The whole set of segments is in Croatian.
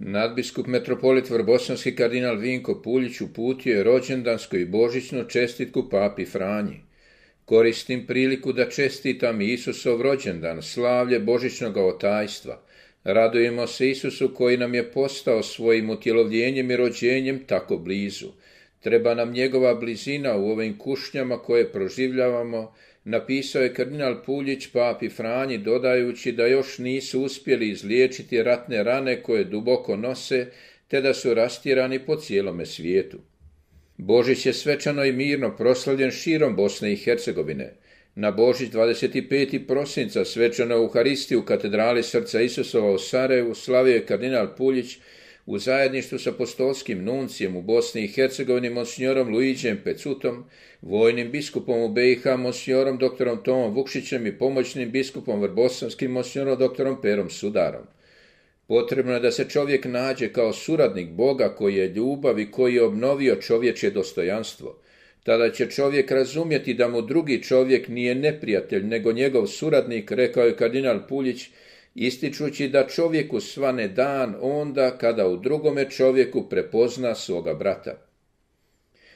Nadbiskup metropolit vrbosanski kardinal Vinko Puljić uputio je rođendansku i božićnu čestitku papi Franji. Koristim priliku da čestitam Isusov rođendan, slavlje božićnog otajstva. Radujemo se Isusu koji nam je postao svojim utjelovljenjem i rođenjem tako blizu. Treba nam njegova blizina u ovim kušnjama koje proživljavamo, napisao je kardinal Puljić papi Franji dodajući da još nisu uspjeli izliječiti ratne rane koje duboko nose, te da su rastirani po cijelome svijetu. Božić je svečano i mirno proslavljen širom Bosne i Hercegovine. Na Božić 25. prosinca svečanu Euharistiju u katedrali Srca Isusova u Sarajevu slavio je kardinal Puljić u zajedništvu s apostolskim nuncijem u Bosni i Hercegovini monsignorom Luiđem Pecutom, vojnim biskupom u BiH monsignorom dr. Tomom Vukšićem i pomoćnim biskupom vrbosanskim monsignorom dr. Perom Sudarom. Potrebno je da se čovjek nađe kao suradnik Boga koji je ljubav i koji je obnovio čovječje dostojanstvo. Tada će čovjek razumjeti da mu drugi čovjek nije neprijatelj, nego njegov suradnik, rekao je kardinal Puljić, ističući da čovjeku svane dan onda kada u drugome čovjeku prepozna svoga brata.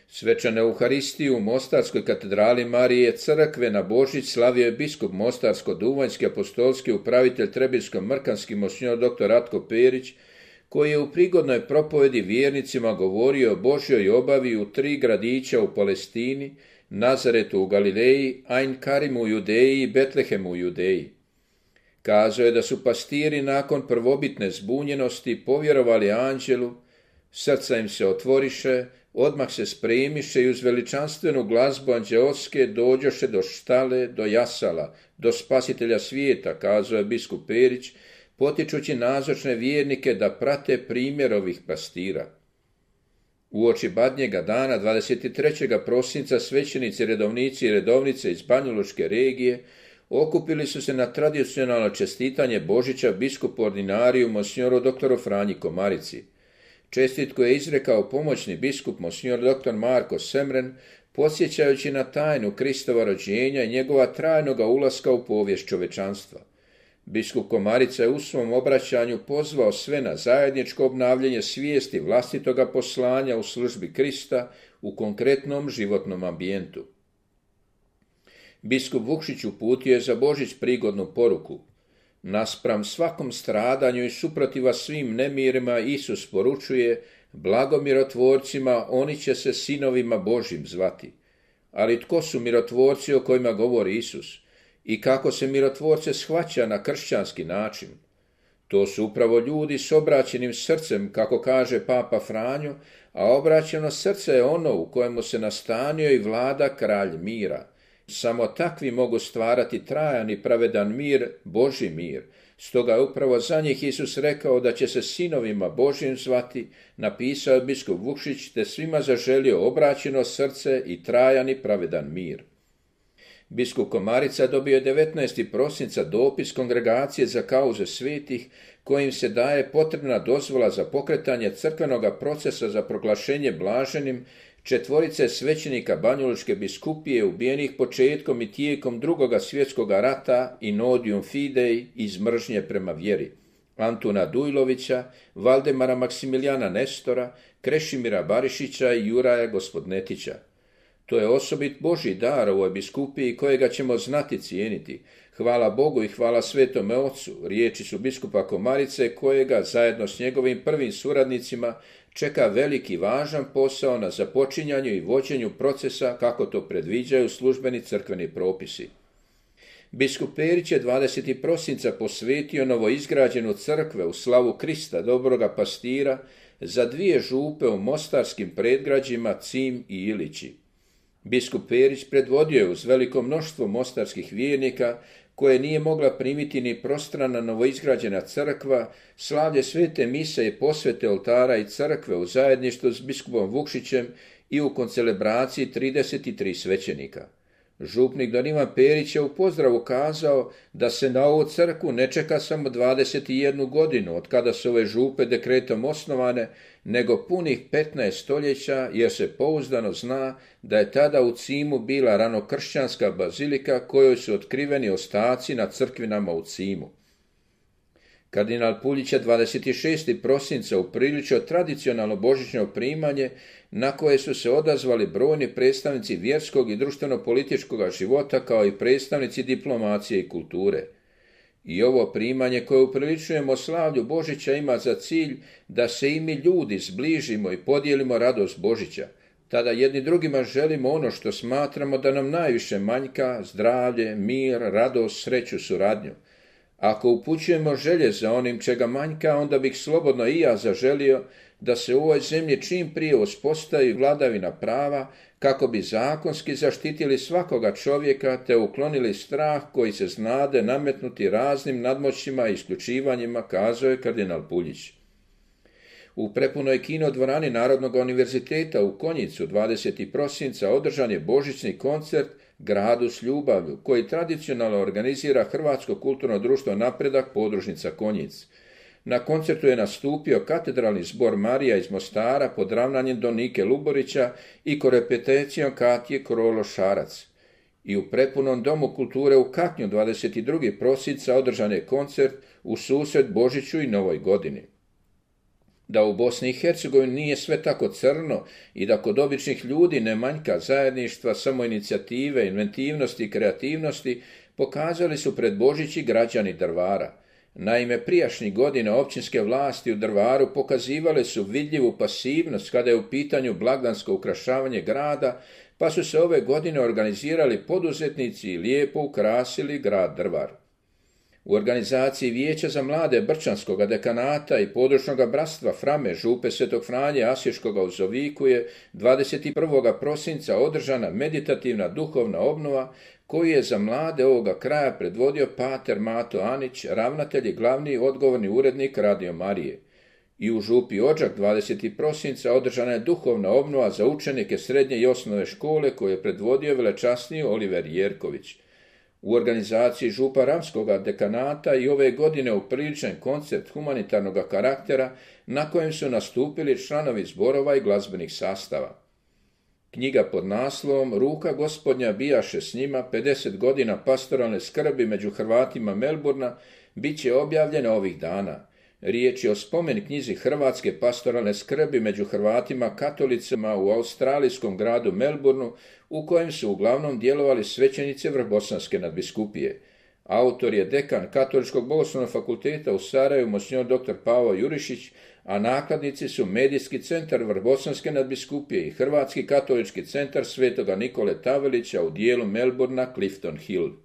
Svečanu Euharistiju u Mostarskoj katedrali Marije Crkve na Božić slavio je biskup Mostarsko-duvanjski apostolski upravitelj Trebinsko-mrkanski monsinjor dr. Ratko Perić, koji je u prigodnoj propovedi vjernicima govorio o Božjoj obavi u 3 gradića u Palestini, Nazaretu u Galileji, Ain Karimu u Judeji i Betlehemu u Judeji. Kazao je da su pastiri nakon prvobitne zbunjenosti povjerovali anđelu, srca im se otvoriše, odmah se spremiše i uz veličanstvenu glazbu anđeoske dođoše do štale, do jasala, do spasitelja svijeta, kazao je biskup Perić, potičući nazočne vjernike da prate primjer ovih pastira. Uoči Badnjega dana, 23. prosinca, svećenici, redovnici i redovnice iz Banjalučke regije okupili su se na tradicionalno čestitanje Božića biskupu ordinariju monsignoru dr. Franji Komarici. Čestitku je izrekao pomoćni biskup monsinjor dr. Marko Semren, podsjećajući na tajnu Kristova rođenja i njegova trajnoga ulaska u povijest čovečanstva. Biskup Komarica je u svom obraćanju pozvao sve na zajedničko obnavljanje svijesti vlastitoga poslanja u službi Krista u konkretnom životnom ambijentu. Biskup Vukšić uputio je za Božić prigodnu poruku. Naspram svakom stradanju i suprotiva svim nemirima Isus poručuje, blago mirotvorcima, oni će se sinovima Božjim zvati. Ali tko su mirotvorci o kojima govori Isus? I kako se mirotvorce shvaća na kršćanski način? To su upravo ljudi s obraćenim srcem, kako kaže papa Franjo, a obraćeno srce je ono u kojemu se nastanio i vlada kralj mira. Samo takvi mogu stvarati trajan i pravedan mir, Božji mir. Stoga je upravo za njih Isus rekao da će se sinovima Božjim zvati, napisao je biskup Vukšić, te svima zaželio obraćeno srce i trajan i pravedan mir. Biskup Komarica dobio je 19. prosinca dopis Kongregacije za kauze svetih, kojim se daje potrebna dozvola za pokretanje crkvenoga procesa za proglašenje blaženim 4 svećenika Banjalučke biskupije ubijenih početkom i tijekom II. Svjetskog rata in odium fidei, iz mržnje prema vjeri. Antuna Dujlovića, Valdemara Maksimilijana Nestora, Krešimira Barišića i Juraja Gospodnetića. To je osobit Božji dar ovoj biskupiji kojega ćemo znati cijeniti. Hvala Bogu i hvala Svetome Ocu, riječi su biskupa Komarice kojega zajedno s njegovim prvim suradnicima čeka veliki važan posao na započinjanju i vođenju procesa kako to predviđaju službeni crkveni propisi. Biskup Perić je 20. prosinca posvetio novoizgrađenu crkve u slavu Krista, dobroga pastira, za 2 župe u mostarskim predgrađima Cim i Ilići. Biskup Perić predvodio je uz veliko mnoštvo mostarskih vjernika, koje nije mogla primiti ni prostrana novoizgrađena crkva, slavlje svete mise i posvete oltara i crkve u zajedništvu s biskupom Vukšićem i u koncelebraciji 33 svećenika. Župnik don Ivan Perić je u pozdravu kazao da se na ovu crkvu ne čeka samo 21 godinu od kada su ove župe dekretom osnovane, nego punih 15 stoljeća, jer se pouzdano zna da je tada u Cimu bila ranokršćanska bazilika kojoj su otkriveni ostaci na crkvinama u Cimu. Kardinal Puljić je 26. prosinca upriličio tradicionalno božićno primanje na koje su se odazvali brojni predstavnici vjerskog i društveno-političkog života kao i predstavnici diplomacije i kulture. I ovo primanje koje upriličujemo slavlju Božića ima za cilj da se i mi ljudi zbližimo i podijelimo radost Božića. Tada jedni drugima želimo ono što smatramo da nam najviše manjka, zdravlje, mir, radost, sreću, suradnju. Ako upućujemo želje za onim čega manjka, onda bih slobodno i ja zaželio da se u ovoj zemlji čim prije uspostavi vladavina prava, kako bi zakonski zaštitili svakoga čovjeka te uklonili strah koji se znade nametnuti raznim nadmoćima i isključivanjima, kazao je kardinal Puljić. U prepunoj kinodvorani Narodnog univerziteta u Konjicu 20. prosinca održan je božićni koncert Gradu s ljubavlju, koji tradicionalno organizira Hrvatsko kulturno društvo Napredak podružnica Konjic. Na koncertu je nastupio katedralni zbor Marija iz Mostara pod ravnanjem Donike Luborića i korepeticijom Katje Krolo-Šarac. I u prepunom domu kulture u Kaknju 22. prosinca održan je koncert u susret Božiću i Novoj godini. Da u Bosni i Hercegovini nije sve tako crno i da kod običnih ljudi ne manjka zajedništva, samoinicijative, inventivnosti i kreativnosti, pokazali su pred Božić i građani Drvara. Naime, prijašnjih godina općinske vlasti u Drvaru pokazivale su vidljivu pasivnost kada je u pitanju blagdansko ukrašavanje grada, pa su se ove godine organizirali poduzetnici i lijepo ukrasili grad Drvar. U organizaciji Vijeća za mlade Brčanskog dekanata i područnog bratstva Frame župe Svetog Franje Asješkoga u Zoviku je 21. prosinca održana meditativna duhovna obnova koju je za mlade ovoga kraja predvodio pater Mato Anić, ravnatelj i glavni odgovorni urednik Radio Marije. I u župi Odžak 20. prosinca održana je duhovna obnova za učenike srednje i osnovne škole koju je predvodio velečasni Oliver Jerković. U organizaciji župa Ramskoga dekanata i ove godine upriličen koncert humanitarnog karaktera na kojem su nastupili članovi zborova i glazbenih sastava. Knjiga pod naslovom Ruka Gospodnja bijaše s njima 50 godina pastoralne skrbi među Hrvatima Melburna bit će objavljena ovih dana. Riječ je o spomen knjizi Hrvatske pastoralne skrbi među Hrvatima katolicima u australijskom gradu Melbourneu, u kojem su uglavnom djelovali svećenici Vrbosanske nadbiskupije. Autor je dekan Katoličkog bogoslovnog fakulteta u Sarajevu, monsignor dr. Pavo Jurišić, a nakladnici su Medijski centar Vrbosanske nadbiskupije i Hrvatski katolički centar Svetoga Nikole Tavelića u dijelu Melbournea Clifton Hill.